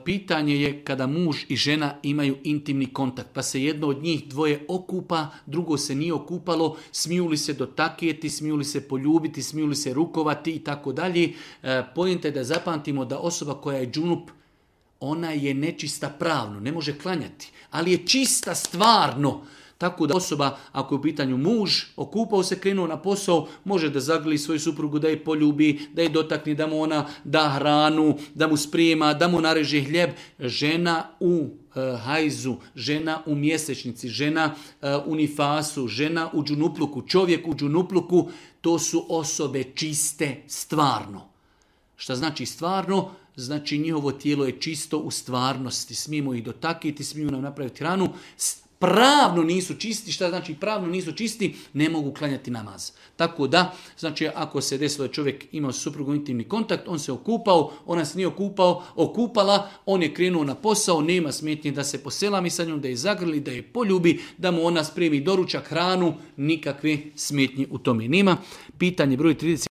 pitanje je kada muž i žena imaju intimni kontakt, pa se jedno od njih dvoje okupa, drugo se nije okupalo, smiju li se dotakijeti, smiju li se poljubiti, smiju li se rukovati i tako dalje. Pojenta je da zapamtimo da osoba koja je džunup, ona je nečista pravno, ne može klanjati, ali je čista stvarno. Tako da osoba, ako je u pitanju muž, okupao se, krenuo na posao, može da zagrli svoju suprugu, da je poljubi, da je dotakne, da mu ona da hranu, da mu sprijema, da mu nareže hljeb. Žena u hajzu, žena u mjesečnici, žena u nifasu, žena u džunupluku, čovjek u džunupluku, to su osobe čiste stvarno. Šta znači stvarno? Znači njihovo tijelo je čisto u stvarnosti. Smijemo ih dotakiti, smijemo nam napraviti hranu. Pravno nisu čisti. Šta znači pravno nisu čisti? Ne mogu klanjati namaz. Tako da, znači ako se desilo da čovjek imao s suprugom intimni kontakt, on se okupao, ona se nije okupala, on je krenuo na posao, nema smetnje da se poselami sa njom, da je zagrli, da je poljubi, da mu ona spremi doručak, hranu, nikakve smetnje u tome nema. Pitanje broj 30.